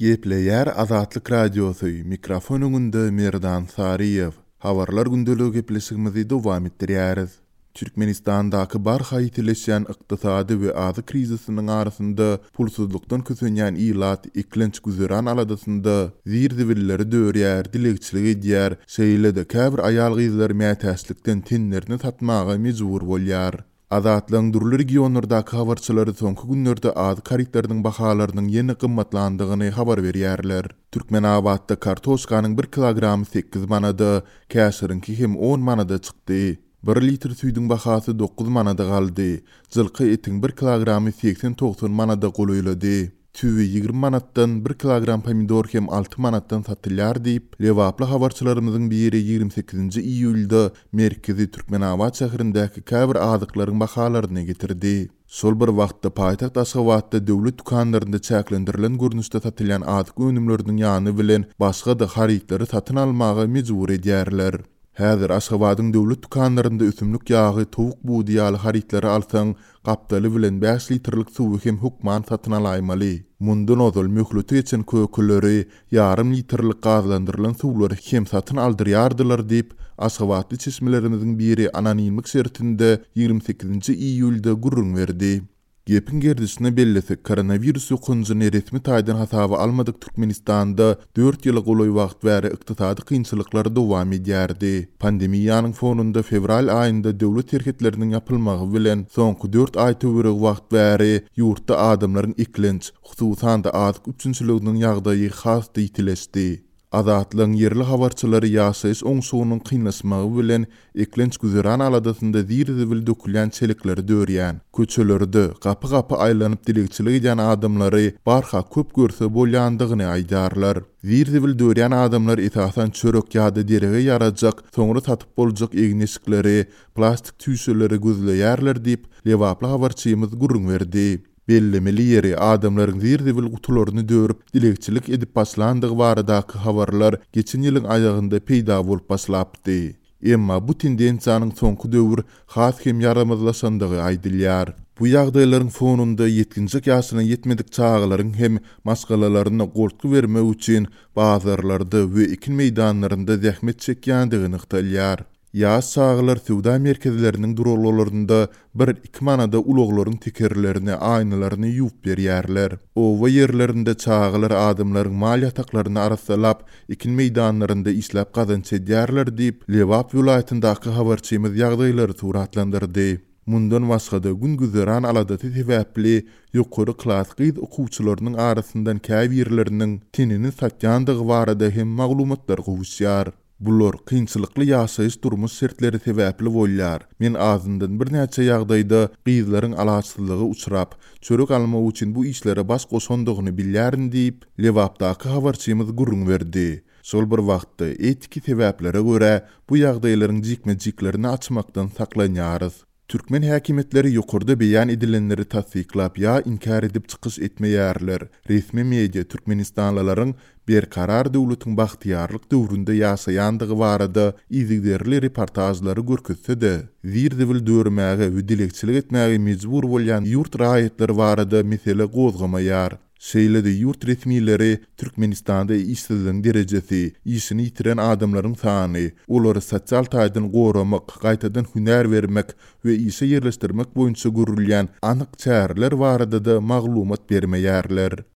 Gepleýär Azatlyk Radiosy, mikrofon öňünde Merdan Saryýew. Habarlar gündeligi gepleşigimizi dowam etdirýäris. Türkmenistandaky barha ýitileşýän ykdysady we azyk krizisiniň arasynda pulsuzlykdan kösenýän ilat eklenç-güzeran aladasynda zir-zibilleri dörýär, dilegçilik edýär, şeýle-de käbir aýal-gyzlar mätäçlikden tenlerini satmaga mejbur bolýar. Azatlygyň dürli regionlardaky habarçylary soňky günlerde azyk harytlarynyň bahalarynyň ýene gymmatlandygyny habar berýärler. Türkmenabatda kartoşkanyň bir kilogramy sekiz manada, käşiriňki hem on manada çykdy. Bir litr süýdüň bahasy dokuz manada galdy. Jylka etiň bir kilogramy segsen-togsan manada golaýlady. Tüwi 20 manatdan, bir kilogram pomidor hem alty manatdan satylýar diýip, lebaply habarçylarymyzyň biri 28-nji iýulda merkezi Türkmenabat şäherindäki käbir azyklaryň bahalaryny getirdi. Şol bir wagtda, paýtagt Aşgabatda döwlet dükanlarynda çäklendirilen görnüşde satylýan azyk önümleriniň ýany bilen başga-da harytlary satyn almaga mejbur edýärler. Häzir Aşgabadyň döwlet dükanlarynda ösümlik ýagy, towuk budy ýaly harytlary alsaň, Gapdaly bilen bäş litrlik suwy hem hökman satyn alaýmaly. Mundan ozal möhleti geçen kökeleri, ýarym litrlik gazlandyrylan suwlary hem satyn aldyrýardylar diýip, aşgabatly çeşmelerimiziň biri anonimlik şertinde 28-nji iýulda gürrüň berdi. Gepiň gerdişine bellesek, koronawirus ýokanjyny resmi taýdan hasaba almadyk Türkmenistanda dört ýyla golaý wagt bäri ykdysady kynçylyklar dowam edýärdi. Pandemiýanyň fonunda fewral aýynda döwlet serhetleriniň ýapylmagy bilen, soňky dört aý töweregi wagt bäri ýurtda adamlaryň eklenç, hususan-da azyk üpjünçiliginiň ýagdaýy has-da ýitileşdi. Azatlygyň ýerli habarçylary ýaşaýyş oňşugynyň kynlaşmagy bilen eklenç-güzeran aladasynda zir-zibil dökülýän çelekleri dörýän, köçelerde gapy-gapy aýlanyp dilegçilik edýän adamlary barha köp görse bolýandygyny aýdýarlar. Zir-zibil dörýän adamlar esasan çörek ýa-da derege ýarajak, soňra satyp boljak egin-eşikleri, plastik çüýşeleri gözleýärler diýip, lebaply habarçymyz gürrüň berdi. Bellemeli ýeri, adamlaryň zir-zibil gutularyny dörüp, dilegçilik edip başlandygy baradaky habarlar geçen ýylyň aýagynda peýda bolup başlapdy. Emma bu tendensiýanyň soňky döwür has hem ýaramazlaşandygy aýdylýar. Bu ýagdaýlaryň fonunda ýetginjek ýaşyna ýetmedik çagalaryň hem maşgalalaryna goltgy bermek üçin bazarlarda we ekin meýdanlarynda zähmet çekýändigi nygtalýar. Ýaş çagalar söwda merkezleriniň duralgalarynda bir-iki manada ulaglaryň tekerlerini, aýnalaryny ýuwup berýärler. Oba ýerlerinde çagalar adamlaryň mal ýataklaryny arassalap, ekin meýdanlarynda işläp gazanç edýärler diýip, Lebap welaýatyndaky habarçymyz ýagdaýlary suratlandyrdy. Mundan başga-da, gün-güzeran aladasy sebäpli ýokary klas gyz okuwçylarynyň arasyndan käbirleriniň tenini satýandygy barada hem maglumatlar gowuşýar. Bular kynçylykly ýaşaýyş-durmuş şertleri sebäpli bolýar. Men azyndan birnäçe ýagdaýda gyzlaryň alaçsyzlyga uçrap, çörek almak üçin bu işlere baş goşandygyny bilýärin diýip, Lebapdaky habarçymyz gürrüň berdi. Şol bir wagtda, etiki sebäplere görä, bu ýagdaýlaryň jikme-jiklerini açmakdan saklanýarys. Türkmen häkimiýetleri ýokarda beýan edilenleri tassyklap ýa inkär edip çykyş etmeýärler. Resmi media türkmenistanlylaryň Berkarar döwletiň bagtyýarlyk döwründe ýaşaýandygy barada yzygiderli reportažlary görkezse-de, zir-zibil dörmäge we dilegçilik etmäge mejbur bolýan ýurt raýatlary barada mesele gozgamaýar. Şeýle-de ýurt resmileri Türkmenistanda işsizligiň derejesi, işini ýitiren adamlaryň sany, olary sosial taýdan goramak, gaýtadan hünär bermek we işe ýerleşdirmek boýunça görülýän anyk çäreler barada-da maglumat bermeýärler.